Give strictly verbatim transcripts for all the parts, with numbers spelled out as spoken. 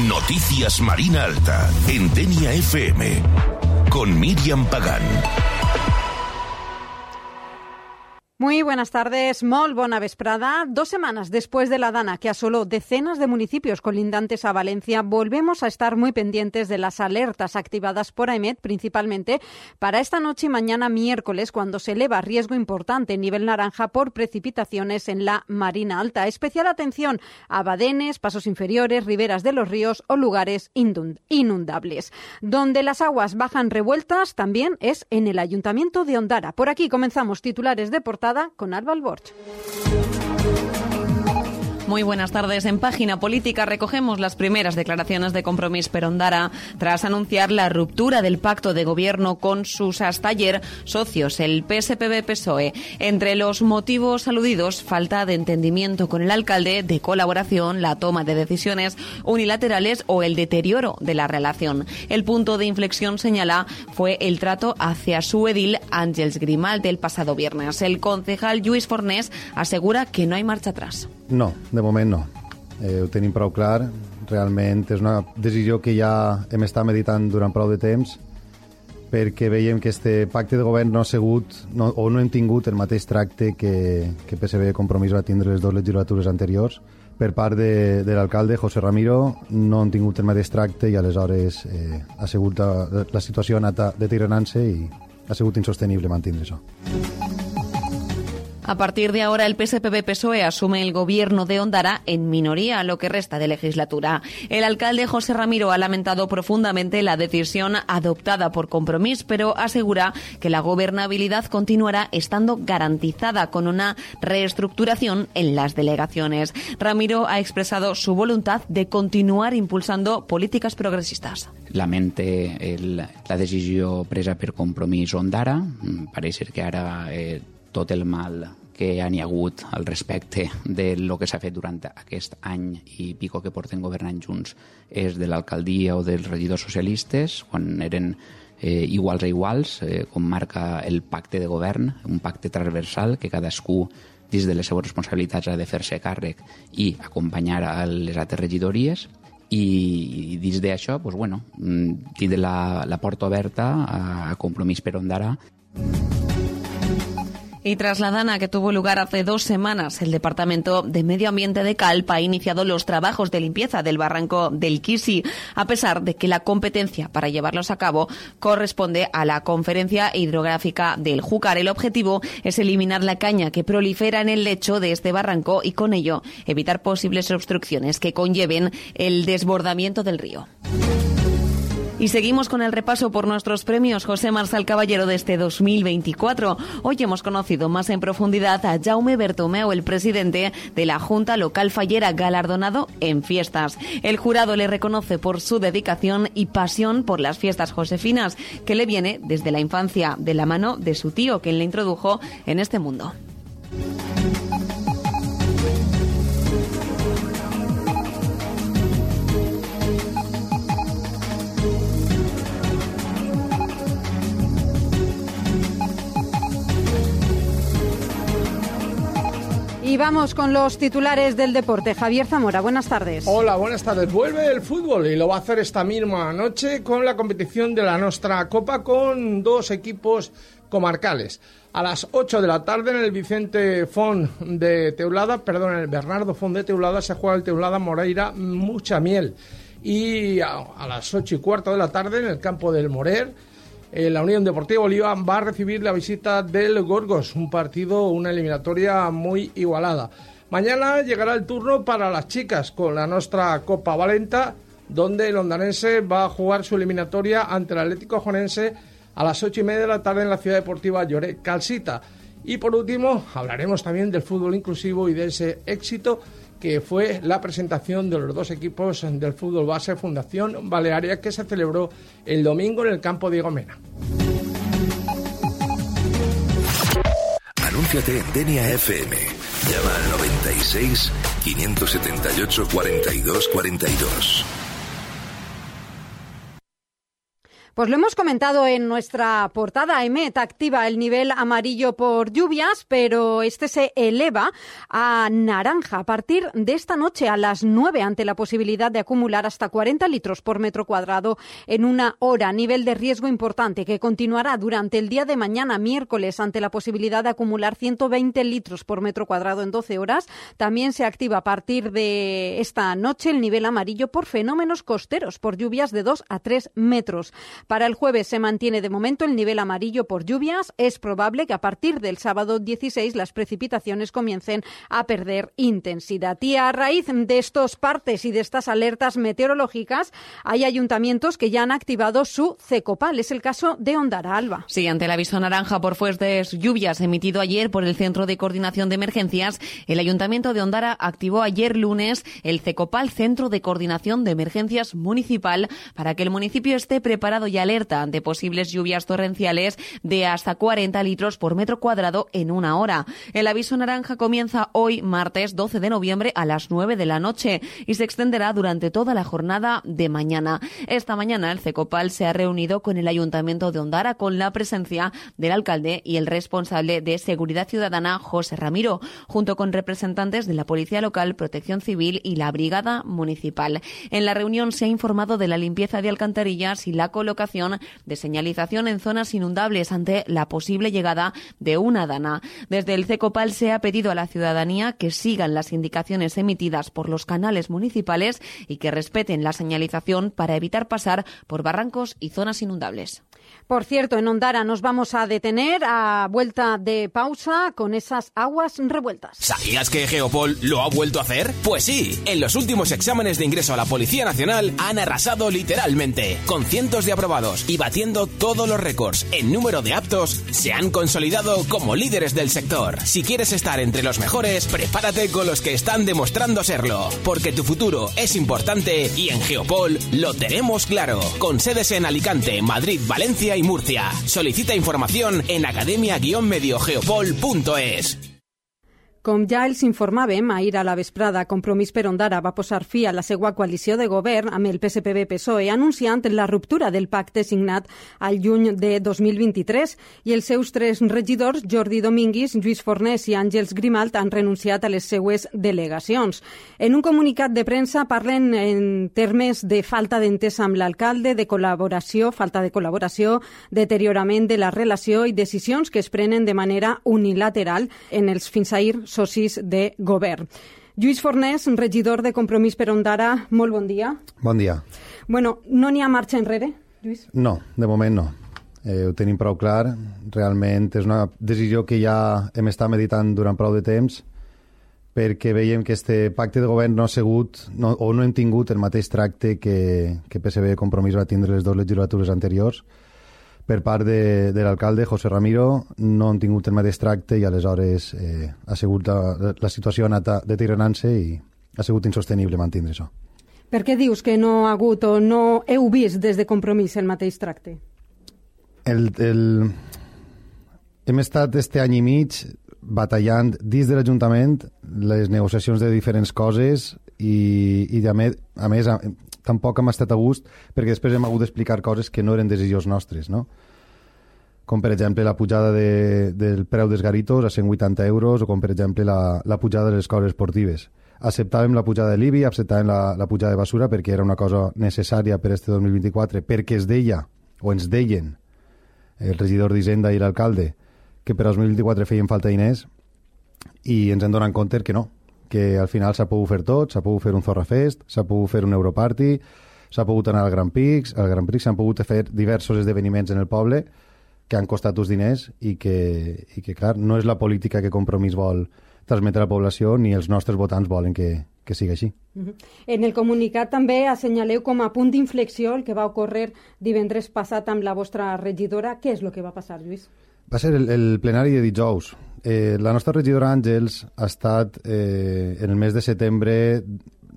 Noticias Marina Alta, en Denia F M, con Miriam Pagán. Muy buenas tardes, molt bona vesprada. Dos semanas después de la dana que asoló decenas de municipios colindantes a Valencia, volvemos a estar muy pendientes de las alertas activadas por AEMET, principalmente para esta noche y mañana miércoles, cuando se eleva riesgo importante en nivel naranja por precipitaciones en la Marina Alta. Especial atención a badenes, pasos inferiores, riberas de los ríos o lugares inundables. Donde las aguas bajan revueltas también es en el Ayuntamiento de Ondara. Por aquí comenzamos titulares de portada con Alba Alborch. Muy buenas tardes. En Página Política recogemos las primeras declaraciones de Compromís per Ondara tras anunciar la ruptura del pacto de gobierno con sus hasta ayer socios, el P S P B P S O E. Entre los motivos aludidos, falta de entendimiento con el alcalde, de colaboración, la toma de decisiones unilaterales o el deterioro de la relación. El punto de inflexión, señala, fue el trato hacia su edil Àngels Grimaldi el pasado viernes. El concejal Lluís Fornés asegura que no hay marcha atrás. No, de moment no. Eh, ho tenim prou clar. Realment és una decisió que ja hem estat meditant durant prou de temps, perquè veiem que este pacte de govern no ha sigut no, o no hem tingut el mateix tracte que, que P S B Compromís va tindre les dues legislatures anteriors. Per part de, de l'alcalde José Ramiro no han tingut el mateix tracte i aleshores eh, ha sigut la, la situació ha anat deteriorant-se i ha sigut insostenible mantenir això. A partir de ahora, el P S P B P S O E asume el gobierno de Ondara en minoría lo que resta de legislatura. El alcalde José Ramiro ha lamentado profundamente la decisión adoptada por Compromís, pero asegura que la gobernabilidad continuará estando garantizada con una reestructuración en las delegaciones. Ramiro ha expresado su voluntad de continuar impulsando políticas progresistas. Lamente el, la decisió presa per Compromís Ondara. Pareix ser que ara eh, tot el mal que hi ha hagut al respecte de lo que s'ha fet durant aquest any i pico que porten governant junts és de l'alcaldia o dels regidors socialistes, quan eren eh, iguals a iguals, eh, com marca el pacte de govern, un pacte transversal que cadascú dins de les seves responsabilitats ha de fer-se càrrec i acompanyar a les altres regidories. I dins d'això, pues bueno, tindre la, la porta oberta a, a Compromís per Ondara. Y tras la dana que tuvo lugar hace dos semanas, el Departamento de Medio Ambiente de Calp ha iniciado los trabajos de limpieza del barranco del Quisi, a pesar de que la competencia para llevarlos a cabo corresponde a la Conferencia Hidrográfica del Júcar. El objetivo es eliminar la caña que prolifera en el lecho de este barranco y con ello evitar posibles obstrucciones que conlleven el desbordamiento del río. Y seguimos con el repaso por nuestros premios José Marsal Caballero de este dos mil veinticuatro. Hoy hemos conocido más en profundidad a Jaume Bertomeu, el presidente de la Junta Local Fallera, galardonado en fiestas. El jurado le reconoce por su dedicación y pasión por las fiestas josefinas, que le viene desde la infancia, de la mano de su tío, quien le introdujo en este mundo. Y vamos con los titulares del deporte. Javier Zamora, buenas tardes. Hola, buenas tardes. Vuelve el fútbol y lo va a hacer esta misma noche con la competición de la Nostra Copa con dos equipos comarcales. A las ocho de la tarde en el Vicente Font de Teulada, perdón, en el Bernardo Font de Teulada se juega el Teulada Moreira Mucha Miel. Y a, a las ocho y cuarto de la tarde en el campo del Morer, Eh, la Unión Deportiva Oliva va a recibir la visita del Gorgos, un partido, una eliminatoria muy igualada. Mañana llegará el turno para las chicas con la Nostra Copa Valenta, donde el ondanense va a jugar su eliminatoria ante el Atlético Jonense a las ocho y media de la tarde en la Ciudad Deportiva Lloret Calcita. Y por último, hablaremos también del fútbol inclusivo y de ese éxito que fue la presentación de los dos equipos del fútbol base Fundación Balearia, que se celebró el domingo en el campo Diego Mena. Anúnciate en Denia F M. Llama al noventa y seis, quinientos setenta y ocho, cuarenta y dos cuarenta y dos. Pues lo hemos comentado en nuestra portada. EMET activa el nivel amarillo por lluvias, pero este se eleva a naranja a partir de esta noche a las nueve ante la posibilidad de acumular hasta cuarenta litros por metro cuadrado en una hora. Nivel de riesgo importante que continuará durante el día de mañana, miércoles, ante la posibilidad de acumular ciento veinte litros por metro cuadrado en doce horas. También se activa a partir de esta noche el nivel amarillo por fenómenos costeros, por lluvias de dos a tres metros. Para el jueves se mantiene de momento el nivel amarillo por lluvias. Es probable que a partir del sábado dieciséis las precipitaciones comiencen a perder intensidad. Y a raíz de estos partes y de estas alertas meteorológicas, hay ayuntamientos que ya han activado su CECOPAL. Es el caso de Ondara. Alba. Sí, ante el aviso naranja por fuertes lluvias emitido ayer por el Centro de Coordinación de Emergencias, el Ayuntamiento de Ondara activó ayer lunes el CECOPAL, Centro de Coordinación de Emergencias Municipal, para que el municipio esté preparado y alerta ante posibles lluvias torrenciales de hasta cuarenta litros por metro cuadrado en una hora. El aviso naranja comienza hoy, martes doce de noviembre, a las nueve de la noche y se extenderá durante toda la jornada de mañana. Esta mañana el CECOPAL se ha reunido con el Ayuntamiento de Ondara con la presencia del alcalde y el responsable de Seguridad Ciudadana, José Ramiro, junto con representantes de la Policía Local, Protección Civil y la Brigada Municipal. En la reunión se ha informado de la limpieza de alcantarillas y la colocación de señalización en zonas inundables ante la posible llegada de una dana. Desde el CECOPAL se ha pedido a la ciudadanía que sigan las indicaciones emitidas por los canales municipales y que respeten la señalización para evitar pasar por barrancos y zonas inundables. Por cierto, en Ondara nos vamos a detener a vuelta de pausa con esas aguas revueltas. ¿Sabías que Geopol lo ha vuelto a hacer? Pues sí, en los últimos exámenes de ingreso a la Policía Nacional han arrasado literalmente, con cientos de aprobados y batiendo todos los récords en número de aptos, se han consolidado como líderes del sector. Si quieres estar entre los mejores, prepárate con los que están demostrando serlo, porque tu futuro es importante y en Geopol lo tenemos claro, con sedes en Alicante, Madrid, Valencia y Murcia. Solicita información en academia guion medio geopol punto es. Com ja els informàvem, ahir a la vesprada, Compromís per Ondara va posar fi a la seva coalició de govern amb el P S P B P S O E, anunciant la ruptura del pacte signat al juny de dos mil vint-i-tres, i els seus tres regidors, Jordi Dominguis, Lluís Fornés i Àngels Grimalt, han renunciat a les seues delegacions. En un comunicat de premsa parlen en termes de falta d'entesa amb l'alcalde, de col·laboració, falta de col·laboració, deteriorament de la relació i decisions que es prenen de manera unilateral en els fins ahir socis de govern. Lluís Fornés, regidor de Compromís per Ondara, molt bon dia. Bon dia. Bueno, no n'hi ha marxa enrere, Lluís? No, de moment no. Eh, ho tenim prou clar. Realment és una decisió que ja hem estat meditant durant prou de temps, perquè veiem que este pacte de govern no ha sigut, no, o no hem tingut el mateix tracte que, que P S B Compromís va tindre les dues legislatures anteriors. Per part de, de l'alcalde, José Ramiro, no han tingut el mateix tracte i aleshores eh, ha sigut la, la situació ha anat deteriorant-se i ha sigut insostenible mantenir això. Per què dius que no ha hagut o no heu vist des de Compromís el mateix tracte? El, el... Hem estat este any i mig batallant dins de l'Ajuntament les negociacions de diferents coses i, i a més, a més a, tampoc hem estat a gust perquè després hem hagut d'explicar coses que no eren decisions nostres, no? Com per exemple la pujada de, del preu dels garitos a cent vuitanta euros o com per exemple la, la pujada de les escoles esportives. Acceptàvem la pujada de l'I B I, acceptàvem la, la pujada de basura perquè era una cosa necessària per este dos mil vint-i-quatre, perquè es deia o ens deien el regidor d'Hisenda i l'alcalde que per dos mil vint-i-quatre feien falta diners i ens hem donat compte que no, que al final s'ha pogut fer tot, s'ha pogut fer un Zorra Fest, s'ha pogut fer un Europarty, s'ha pogut anar al Grand Prix, al Grand Prix s'han pogut fer diversos esdeveniments en el poble que han costat uns diners i que, i que clar, no és la política que Compromís vol transmetre a la població ni els nostres votants volen que, que sigui així. Uh-huh. En el comunicat també assenyaleu com a punt d'inflexió el que va ocórrer divendres passat amb la vostra regidora. Què és el que va passar, Lluís? Va ser el, el plenari de dijous. Eh, la nostra regidora Àngels ha estat eh, en el mes de setembre,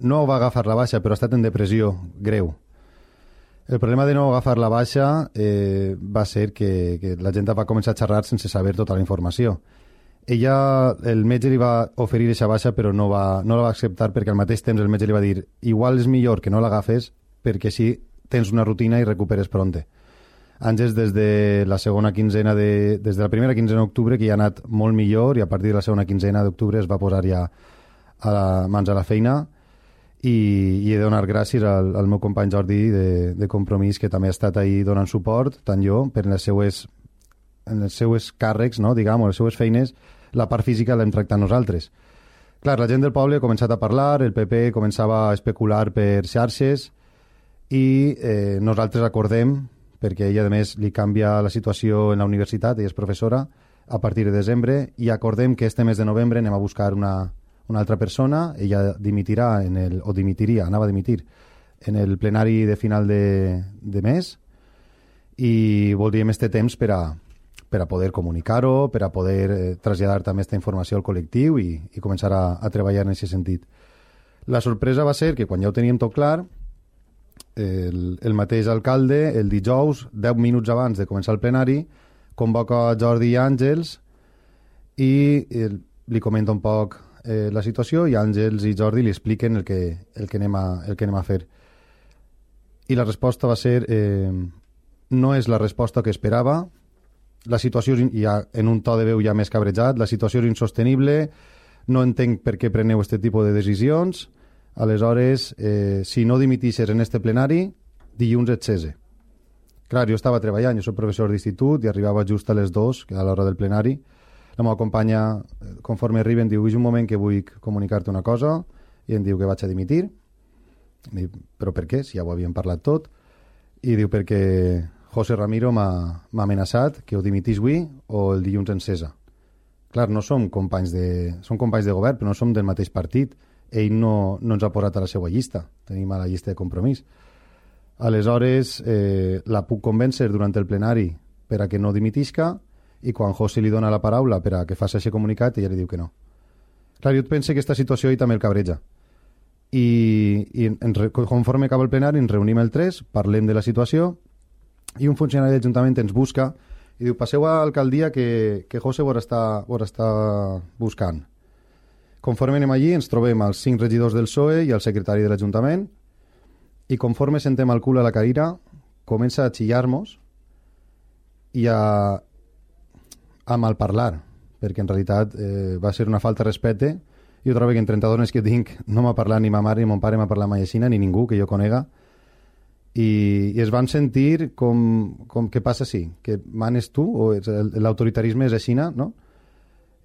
no va agafar la baixa, però ha estat en depressió greu. El problema de no agafar la baixa eh, va ser que, que la gent va començar a xerrar sense saber tota la informació. Ella, el metge li va oferir aquesta baixa, però no, va, no la va acceptar perquè al mateix temps el metge li va dir igual és millor que no l'agafes perquè així tens una rutina i recuperes pronte. Àngels des de la segona quinzena de, des de la primera quinzena d'octubre, que ja ha anat molt millor, i a partir de la segona quinzena d'octubre es va posar ja a la, mans a la feina, i, i he de donar gràcies al, al meu company Jordi de, de Compromís, que també ha estat ahí donant suport, tant jo, per les seues, en els seues càrrecs, no, diguem, les seues feines, la part física l'hem tractat nosaltres. Clar, la gent del poble ha començat a parlar, el P P començava a especular per xarxes, i eh, nosaltres acordem, perquè ella a més li canvia la situació en la universitat, ella és professora, a partir de desembre, i acordem que este mes de novembre anem a buscar una, una altra persona, ella dimitirà, en el, o dimitiria, anava a dimitir, en el plenari de final de, de mes, i voldríem este temps per a, per a poder comunicar-ho, per a poder eh, traslladar també aquesta informació al col·lectiu i, i començar a, a treballar en aquest sentit. La sorpresa va ser que quan ja ho teníem tot clar, el, el mateix alcalde, el dijous, deu minuts abans de començar el plenari, convoca Jordi i Àngels i el, li comenta un poc eh, la situació, i Àngels i Jordi li expliquen el que, el que, anem, a, el que anem a fer. I la resposta va ser eh, no és la resposta que esperava, la situació, ja en un to de veu ja més cabrejat, la situació és insostenible, no entenc per què preneu aquest tipus de decisions. Aleshores, eh, si no dimitixes en este plenari, dilluns et cese. Clar, jo estava treballant, jo soc professor d'institut i arribava just a les dues, a l'hora del plenari. La meva companya, conforme arriba, em diu, és un moment que vull comunicar-te una cosa, i em diu que vaig a dimitir. Dic, però per què? Si ja ho havíem parlat tot. I diu, perquè José Ramiro m'ha amenaçat que ho dimitís avui o el dilluns en cesa. Clar, no som companys de, som companys de govern, però no som del mateix partit. Ell no, no ens ha posat a la seva llista, tenim a la llista de Compromís. Aleshores, eh, la puc convèncer durant el plenari per a que no dimitisca, i quan José li dona la paraula per a que faci aquest comunicat, ella li diu que no. Clar, jo penso que aquesta situació ell també el cabreja. I, i en, conforme acaba el plenari ens reunim el tres, parlem de la situació, i un funcionari de l'Ajuntament ens busca i diu, passeu a l'alcaldia que, que José vos està, vos està buscant. Conforme anem allí ens trobem els cinc regidors del P S O E i el secretari de l'Ajuntament, i conforme sentem el cul a la cadira comença a xillar-nos i a, a malparlar, perquè en realitat eh, va ser una falta de respecte. Jo trobo que en trenta-dos anys que tinc no m'ha parlat ni ma mare ni mon pare m'ha parlat mai aixina, ni ningú que jo conega, i, i es van sentir com, com què passa sí, que manes tu, o l'autoritarisme és aixina, no?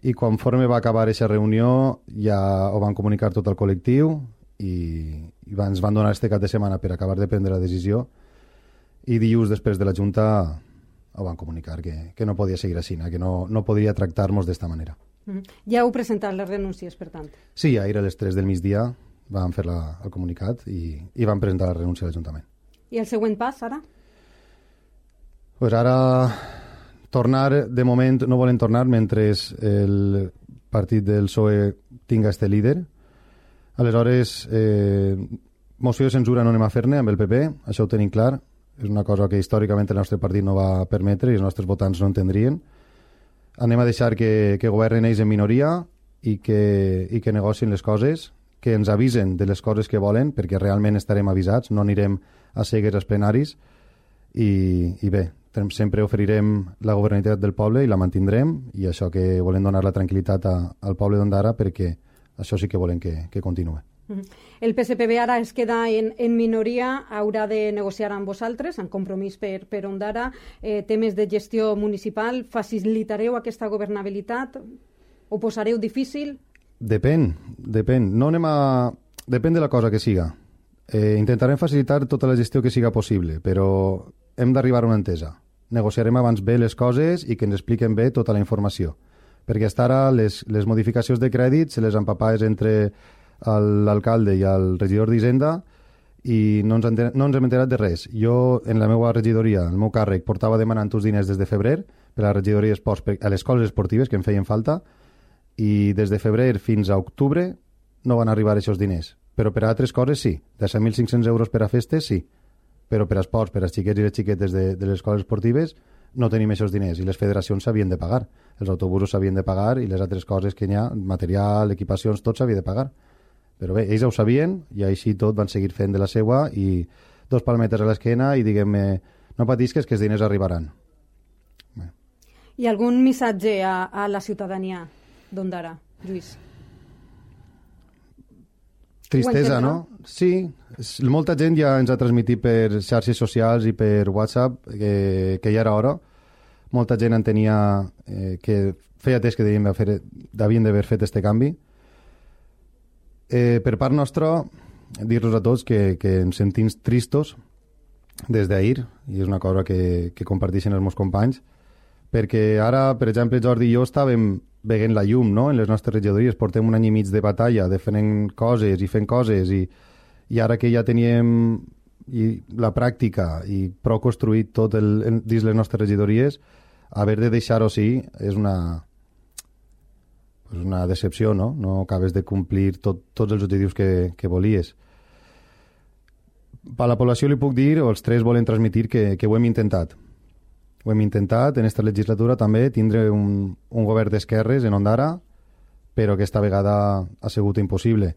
I conforme va acabar aquesta reunió ja ho van comunicar tot el col·lectiu i, i ens van donar este cap de setmana per acabar de prendre la decisió, i dilluns després de la Junta ho van comunicar que, que no podia seguir així, que no, no podria tractar-nos d'esta manera. Mm. Ja heu presentat les renúncies, per tant? Sí, ahir a les tres del migdia vam fer la, el comunicat i, i vam presentar la renúncia a l'Ajuntament. I el següent pas, ara? Pues ara tornar, de moment no volen tornar mentre el partit del P S O E tinga este líder. Aleshores, eh, moció de censura no anem a fer-ne amb el P P, això ho tenim clar. És una cosa que històricament el nostre partit no va permetre i els nostres votants no entendrien. Anem a deixar que, que governen ells en minoria i que, i que negocien les coses, que ens avisen de les coses que volen, perquè realment estarem avisats, no anirem a cegues als plenaris, i, i bé, sempre oferirem la governabilitat del poble i la mantindrem, i això que volem donar la tranquil·litat a, al poble d'Ondara, perquè això sí que volem que, que continuï. El P S P B ara es queda en, en minoria, haurà de negociar amb vosaltres, en Compromís per, per Ondara, eh, temes de gestió municipal. Facilitareu aquesta governabilitat? Ho posareu difícil? Depèn, depèn. No anem a... Depèn de la cosa que siga. Eh, intentarem facilitar tota la gestió que siga possible, però hem d'arribar a una entesa. Negociarem abans bé les coses i que ens expliquen bé tota la informació. Perquè fins ara les, les modificacions de crèdit se les empapaves entre l'alcalde i el regidor d'Hisenda i no ens, enter, no ens hem enterat de res. Jo, en la meva regidoria, el meu càrrec, portava demanant uns diners des de febrer per a la regidoria d'esports, a les escoles esportives que em feien falta, i des de febrer fins a octubre no van arribar aquests diners. Però per a altres coses sí. De set mil cinc-cents euros per a festes, sí. Però per a esports, per als xiquets i les xiquetes de, de les escoles esportives, no tenim aquests diners i les federacions s'havien de pagar. Els autobusos s'havien de pagar i les altres coses que hi ha, material, equipacions, tot s'havia de pagar. Però bé, ells ho sabien i així tot van seguir fent de la seua i dos palmetes a l'esquena i diguem-me no patisques, que els diners arribaran. Bé. I algun missatge a, a la ciutadania d'Ondara, Lluís? Tristesa, no? Sí, molta gent ja ens ha transmitit per xarxes socials i per WhatsApp que, que ja era hora. Molta gent entenia eh, que feia temps que devien d'haver fet este canvi. Eh, per part nostra, dir-los a tots que, que ens sentim tristos des d'ahir, i és una cosa que, que comparteixen els meus companys, perquè ara, per exemple, Jordi i jo estàvem veient la llum, no?, en les nostres regidories. Portem un any i mig de batalla, de fent coses i fent coses, i, i ara que ja teníem i la pràctica i prou construït tot el, dins les nostres regidories, haver de deixar-ho sí és una, és una decepció, no? No acabes de complir tot, tots els objectius que, que volies. A la població li puc dir, o els tres volen transmitir, que, que ho hem intentat. Ho hem intentat en aquesta legislatura també tindre un, un govern d'esquerres en Ondara, però aquesta vegada ha sigut impossible.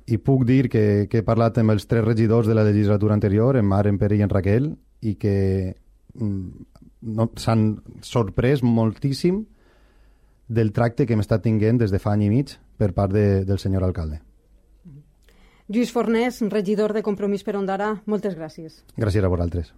I puc dir que, que he parlat amb els tres regidors de la legislatura anterior, en Mar, en Pere i en Raquel, i que no, s'han sorprès moltíssim del tracte que hem estat tinguent des de fa any i mig per part de, del senyor alcalde. Lluís Fornés, regidor de Compromís per Ondara, moltes gràcies. Gràcies a vosaltres.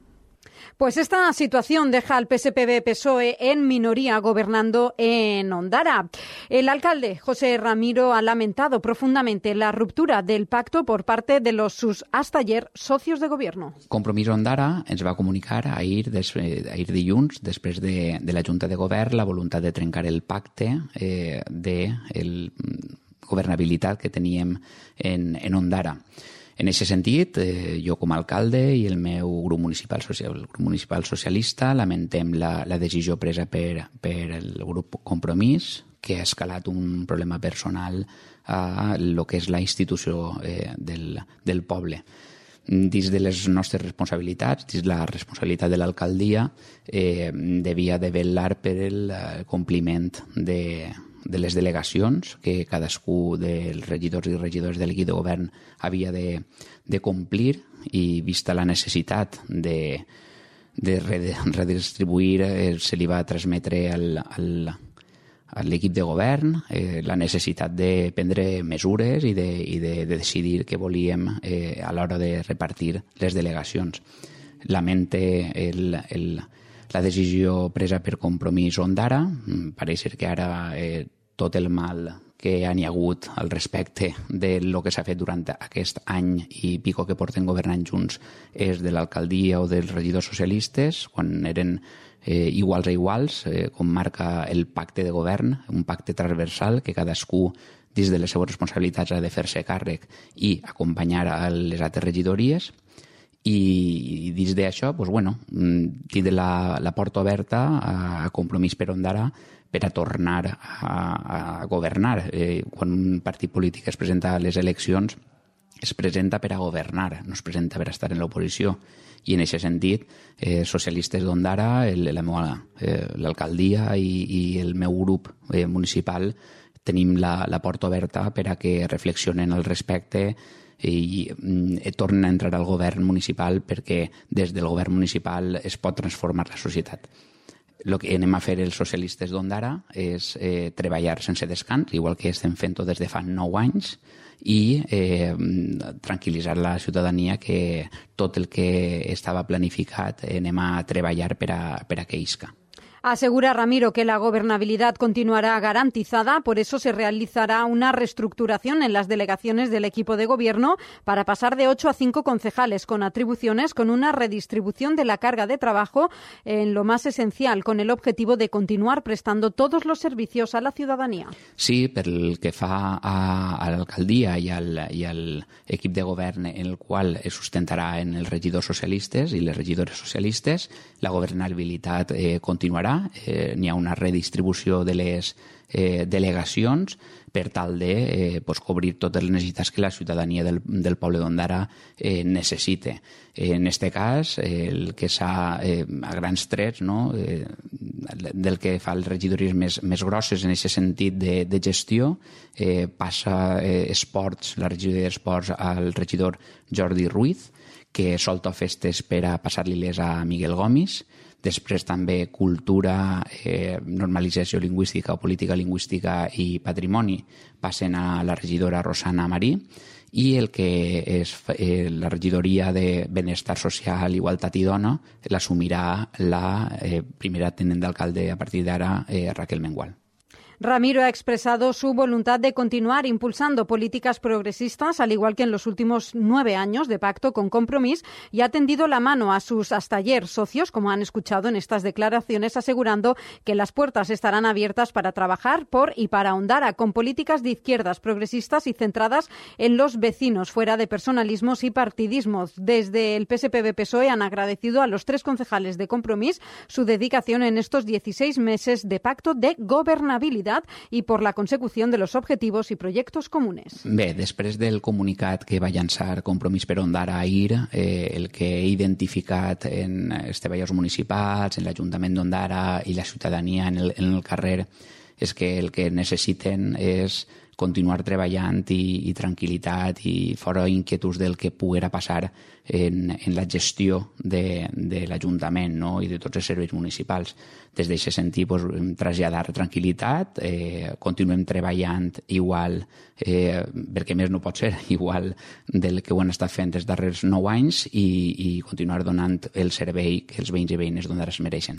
Pues esta situación deja al P S P B P S O E en minoría gobernando en Ondara. El alcalde José Ramiro ha lamentado profundamente la ruptura del pacto por parte de los sus hasta ayer socios de gobierno. Compromís Ondara ens va comunicar ahir, des, ahir dilluns, després de, de la Junta de Govern, la voluntat de trencar el pacte eh, de el, governabilitat que teníem en, en Ondara. En aquest sentit, eh, jo com a alcalde i el meu grup municipal, social, el grup municipal socialista lamentem la, la decisió presa per, per el grup Compromís, que ha escalat un problema personal a el que és la institució eh, del, del poble. Dins de les nostres responsabilitats, dins la responsabilitat de l'alcaldia, eh, devia de vetllar per el compliment de de les delegacions que cadascú dels regidors i regidors del guia de govern havia de, de complir, i vista la necessitat de, de redistribuir, eh, se li va transmetre al, al, a l'equip de govern eh, la necessitat de prendre mesures i de, i de, de decidir què volíem eh, a l'hora de repartir les delegacions. Lamente el, el la decisió presa per Compromís Ondara. Pareix ser que ara eh, tot el mal que hi ha hagut al respecte de lo que s'ha fet durant aquest any i pico que porten governant junts és de l'alcaldia o dels regidors socialistes, quan eren eh, iguals a iguals, eh, com marca el pacte de govern, un pacte transversal que cadascú dins de les seves responsabilitats ha de fer-se càrrec i acompanyar a les altres regidories. I dins d'això, doncs, bueno, tindre la, la porta oberta a Compromís per Ondara per a tornar a, a governar. Eh, quan un partit polític es presenta a les eleccions, es presenta per a governar, no es presenta per a estar en l'oposició. I en aquest sentit, eh, socialistes d'Ondara, eh, l'alcaldia i, i el meu grup eh, municipal tenim la, la porta oberta per a que reflexionen al respecte i eh, tornen a entrar al govern municipal, perquè des del govern municipal es pot transformar la societat. El que anem a fer els socialistes d'Ondara és eh, treballar sense descans, igual que estem fent-ho des de fa nou anys, i eh, tranquil·litzar la ciutadania que tot el que estava planificat eh, anem a treballar per a, per a que isca. Asegura Ramiro que la gobernabilidad continuará garantizada, por eso se realizará una reestructuración en las delegaciones del equipo de gobierno para pasar de ocho a cinco concejales con atribuciones, con una redistribución de la carga de trabajo en lo más esencial, con el objetivo de continuar prestando todos los servicios a la ciudadanía. Sí, pel que fa a, a l'alcaldia i al, i al equip de govern en el qual es sustentarà en els regidors socialistes i les regidores socialistes, la governabilitat eh, continuarà. d'Ondara. Eh, n'hi ha una redistribució de les eh, delegacions per tal de eh, pues, cobrir totes les necessitats que la ciutadania del, del poble d'Ondara eh, necessite. Eh, en aquest cas, eh, el que s'ha, eh, a grans trets, no, eh, del que fa les regidories més, més grosses en aquest sentit de, de gestió, eh, passa eh, esports, la regidoria d'esports al regidor Jordi Ruiz, que solta festes per a passar-li-les a Miguel Gomis. Després també cultura, eh, normalització lingüística o política lingüística i patrimoni passen a la regidora Rosana Marí, i el que és eh, la regidoria de Benestar Social, Igualtat i Dona l'assumirà la eh, primera tinent d'alcalde a partir d'ara, eh, Raquel Mengual. Ramiro ha expresado su voluntad de continuar impulsando políticas progresistas, al igual que en los últimos nueve años de pacto con Compromís, y ha tendido la mano a sus hasta ayer socios, como han escuchado en estas declaraciones, asegurando que las puertas estarán abiertas para trabajar por y para Ondara, con políticas de izquierdas progresistas y centradas en los vecinos, fuera de personalismos y partidismos. Desde el P S P B-P S O E han agradecido a los tres concejales de Compromís su dedicación en estos dieciséis meses de pacto de gobernabilidad i per la consecució de los objetivos i projectes comunes. Bé, després del comunicat que va llançar Compromís per Ondara ahir, eh, el que he identificat en els treballadors municipals, en l'Ajuntament d'Ondara i la ciutadania en el, en el carrer, és que el que necessiten és continuar treballant i, i tranquil·litat i fora inquietuds del que poguera passar en, en la gestió de, de l'Ajuntament, no? I de tots els serveis municipals. Des d'aquest sentit, pues, traslladar tranquil·litat, eh, continuem treballant igual, eh, perquè més no pot ser, igual del que ho han estat fent els darrers nou anys i, i continuar donant el servei que els veïns i veïnes d'Ondara es mereixen.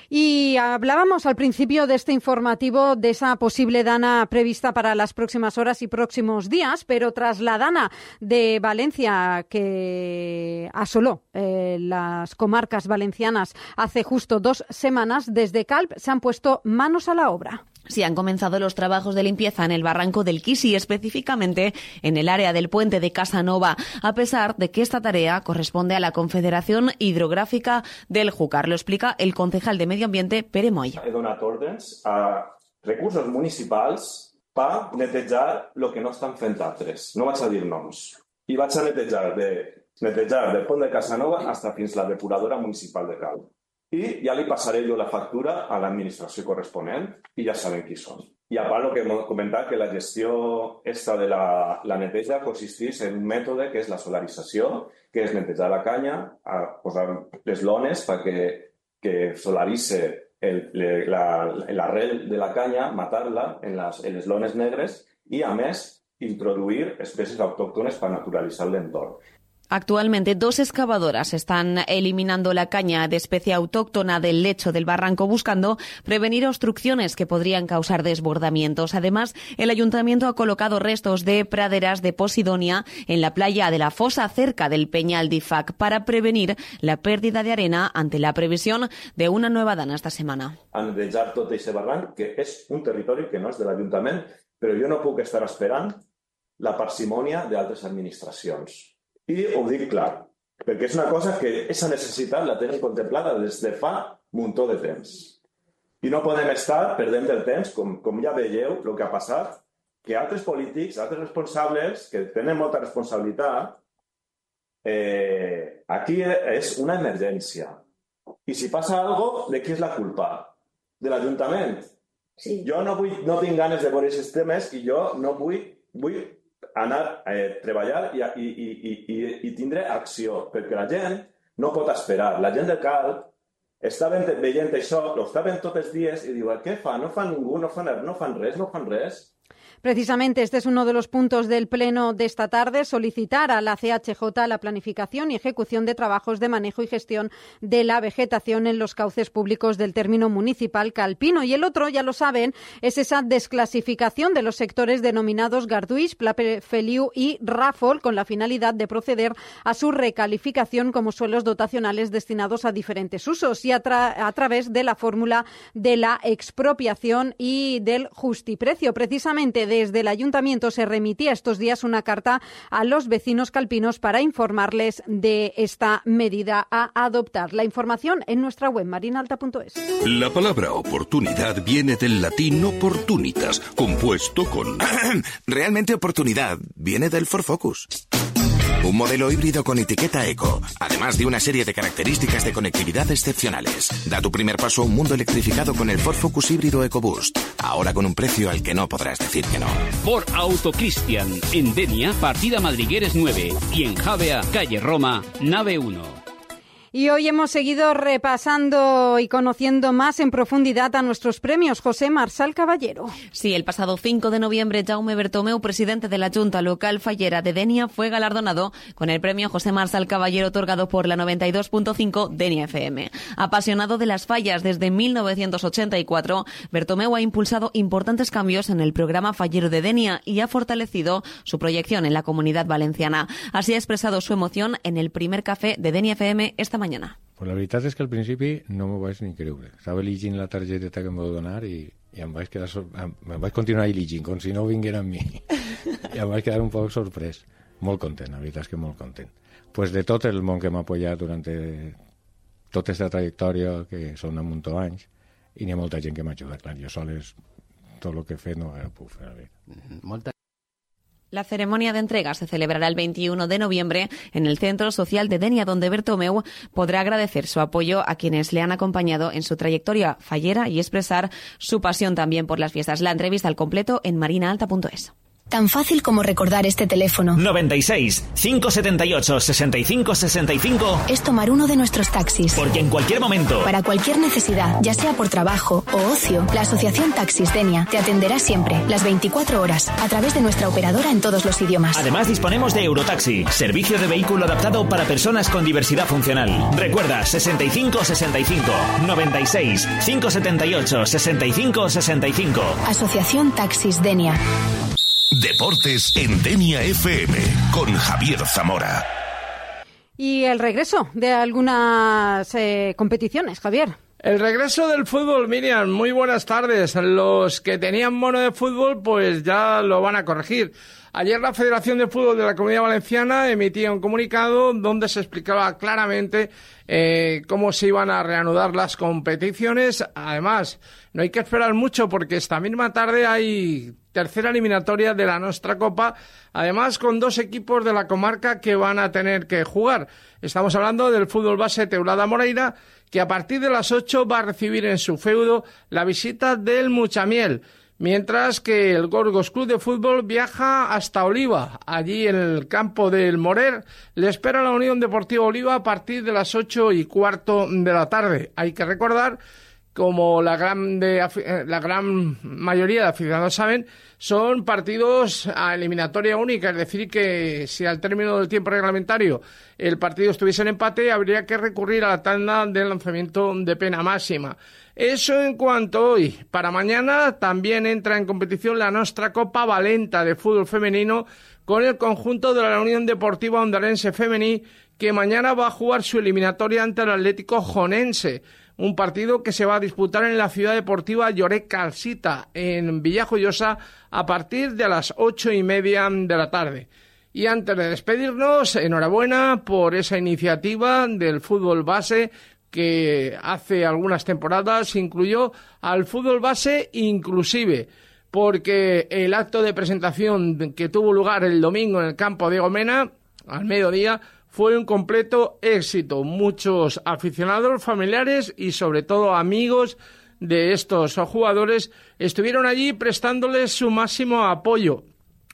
Y hablábamos al principio de este informativo de esa posible dana prevista para las próximas horas y próximos días, pero tras la dana de Valencia que asoló eh, las comarcas valencianas hace justo dos semanas, desde Calp se han puesto manos a la obra. Sí, han comenzado los trabajos de limpieza en el barranco del Quisi, específicamente en el área del puente de Casanova, a pesar de que esta tarea corresponde a la Confederación Hidrográfica del Júcar. Lo explica el concejal de Medio Ambiente, Pere Moll. He donat ordres a recursos municipals per netejar el que no estan fent altres. No vaig a dir noms. I vaig a netejar, de, netejar del pont de Casanova fins fins la depuradora municipal de Calp. I ja li passaré jo la factura a l'administració corresponent i ja saben qui són. I a part, el que hem comentat, que la gestió esta de la, la neteja consisteix en un mètode que és la solarització, que és netejar la canya, a posar les lones perquè que solaritze l'arrel de la canya, matar-la en les, en les lones negres i, a més, introduir espècies autòctones per naturalitzar l'entorn. Actualmente, dos excavadoras están eliminando la caña de especie autóctona del lecho del barranco, buscando prevenir obstrucciones que podrían causar desbordamientos. Además, el ayuntamiento ha colocado restos de praderas de Posidonia en la playa de la Fosa, cerca del Peñal d'Ifac, para prevenir la pérdida de arena ante la previsión de una nueva dana esta semana. A netejar tot aquest barranc, que és un territori que no és de l'Ajuntament, però jo no puc estar esperant la parsimònia d'altres administracions. I ho dic clar, perquè és una cosa que aquesta necessitat la tenen contemplada des de fa un muntó de temps. I no podem estar perdent el temps, com, com ja veieu el que ha passat, que altres polítics, altres responsables, que tenen molta responsabilitat, eh, aquí és una emergència. I si passa alguna cosa, de qui és la culpa? De l'Ajuntament? Sí. Jo no, vull, no tinc ganes de veure aquests temes i jo no vull... vull anar a eh, treballar i, i, i, i, i tindre acció, perquè la gent no pot esperar. La gent de Calp està veient això, ho està veient tots els dies i diu, què fa? No fa ningú, no fan, no fan res, no fan res. Precisamente este es uno de los puntos del pleno de esta tarde, solicitar a la C H J la planificación y ejecución de trabajos de manejo y gestión de la vegetación en los cauces públicos del término municipal calpino. Y el otro, ya lo saben, es esa desclasificación de los sectores denominados Garduix, Pla Feliu y Ràfol, con la finalidad de proceder a su recalificación como suelos dotacionales destinados a diferentes usos y a, tra- a través de la fórmula de la expropiación y del justiprecio. Precisamente de desde el Ayuntamiento se remitía estos días una carta a los vecinos calpinos para informarles de esta medida a adoptar. La información en nuestra web marinalta punto es. La palabra oportunidad viene del latín opportunitas, compuesto con... Realmente oportunidad viene del Ford Focus. Un modelo híbrido con etiqueta eco, además de una serie de características de conectividad excepcionales. Da tu primer paso a un mundo electrificado con el Ford Focus híbrido EcoBoost. Ahora con un precio al que no podrás decir que no. Ford Auto Cristian, en Denia, partida Madrigueres nueve. Y en Javea, calle Roma, nave uno. Y hoy hemos seguido repasando y conociendo más en profundidad a nuestros premios. José Marsal Caballero. Sí, el pasado cinco de noviembre, Jaume Bertomeu, presidente de la Junta Local Fallera de Denia, fue galardonado con el premio José Marsal Caballero otorgado por la noventa y dos punto cinco Denia F M. Apasionado de las fallas desde mil novecientos ochenta y cuatro, Bertomeu ha impulsado importantes cambios en el programa fallero de Denia y ha fortalecido su proyección en la Comunidad Valenciana. Así ha expresado su emoción en el primer café de Denia F M esta mañana. Pues la veritat és que al principi no m'ho vaig ni creure. Estava llegint la targeteta que em vau donar i, i em vaig quedar sor... em vaig continuar llegint, com si no vinguera amb mi. I em vaig quedar un poc sorprès. Molt content, la veritat és que molt content. Pues de tot el món que m'ha apoyat durant tota aquesta trajectòria, que són un munt d'anys, i n'hi ha molta gent que m'ha ajudat. Clar, jo soles, tot el que he fet no ho puc fer. Molta La ceremonia de entrega se celebrará el veintiuno de noviembre en el Centro Social de Denia, donde Bertomeu podrá agradecer su apoyo a quienes le han acompañado en su trayectoria fallera y expresar su pasión también por las fiestas. La entrevista al completo en marinaalta punto es. Tan fácil como recordar este teléfono. noventa y seis, cinco setenta y ocho, sesenta y cinco sesenta y cinco. Es tomar uno de nuestros taxis. Porque en cualquier momento, para cualquier necesidad, ya sea por trabajo o ocio, la Asociación Taxis Denia te atenderá siempre, las veinticuatro horas, a través de nuestra operadora en todos los idiomas. Además disponemos de Eurotaxi, servicio de vehículo adaptado para personas con diversidad funcional. Recuerda, sesenta y cinco sesenta y cinco, noventa y seis, cinco setenta y ocho, sesenta y cinco sesenta y cinco. Asociación Taxis Denia. Deportes en Denia F M con Javier Zamora. Y el regreso de algunas eh, competiciones, Javier. El regreso del fútbol, Miriam, muy buenas tardes. Los que tenían mono de fútbol, pues ya lo van a corregir. Ayer la Federación de Fútbol de la Comunidad Valenciana emitía un comunicado donde se explicaba claramente eh, cómo se iban a reanudar las competiciones. Además, no hay que esperar mucho porque esta misma tarde hay tercera eliminatoria de la Nostra Copa, además con dos equipos de la comarca que van a tener que jugar. Estamos hablando del fútbol base Teulada Moreira, que a partir de las ocho va a recibir en su feudo la visita del Muchamiel. Mientras que el Gorgos Club de Fútbol viaja hasta Oliva. Allí en el campo del Morer le espera la Unión Deportiva Oliva a partir de las ocho y cuarto de la tarde. Hay que recordar, como la gran, de, la gran mayoría de aficionados saben, son partidos a eliminatoria única, es decir, que si al término del tiempo reglamentario el partido estuviese en empate, habría que recurrir a la tanda de lanzamiento de pena máxima. Eso en cuanto a hoy. Para mañana también entra en competición la Nostra Copa Valenta de fútbol femenino con el conjunto de la Unión Deportiva Ondarense Femení, que mañana va a jugar su eliminatoria ante el Atlético Jonense. Un partido que se va a disputar en la ciudad deportiva Lloret Calcita, en Villajoyosa, a partir de las ocho y media de la tarde. Y antes de despedirnos, enhorabuena por esa iniciativa del fútbol base que hace algunas temporadas incluyó al fútbol base inclusive, porque el acto de presentación que tuvo lugar el domingo en el campo de Gomena, al mediodía, fue un completo éxito. Muchos aficionados, familiares y sobre todo amigos de estos jugadores estuvieron allí prestándoles su máximo apoyo.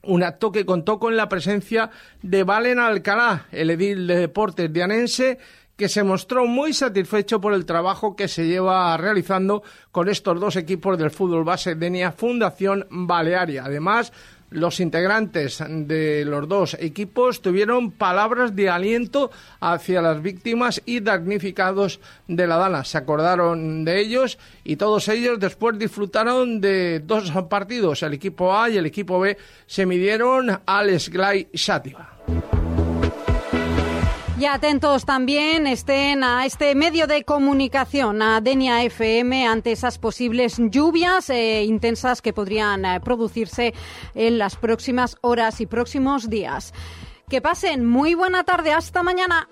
Un acto que contó con la presencia de Valen Alcalá, el edil de deportes dianense, que se mostró muy satisfecho por el trabajo que se lleva realizando con estos dos equipos del fútbol base Denia Fundación Balearia. Además, los integrantes de los dos equipos tuvieron palabras de aliento hacia las víctimas y damnificados de la Dana. Se acordaron de ellos y todos ellos después disfrutaron de dos partidos. El equipo A y el equipo B se midieron al Esglai Xàtiva. Y atentos también estén a este medio de comunicación, a Denia F M, ante esas posibles lluvias eh, intensas que podrían eh, producirse en las próximas horas y próximos días. Que pasen muy buena tarde. Hasta mañana.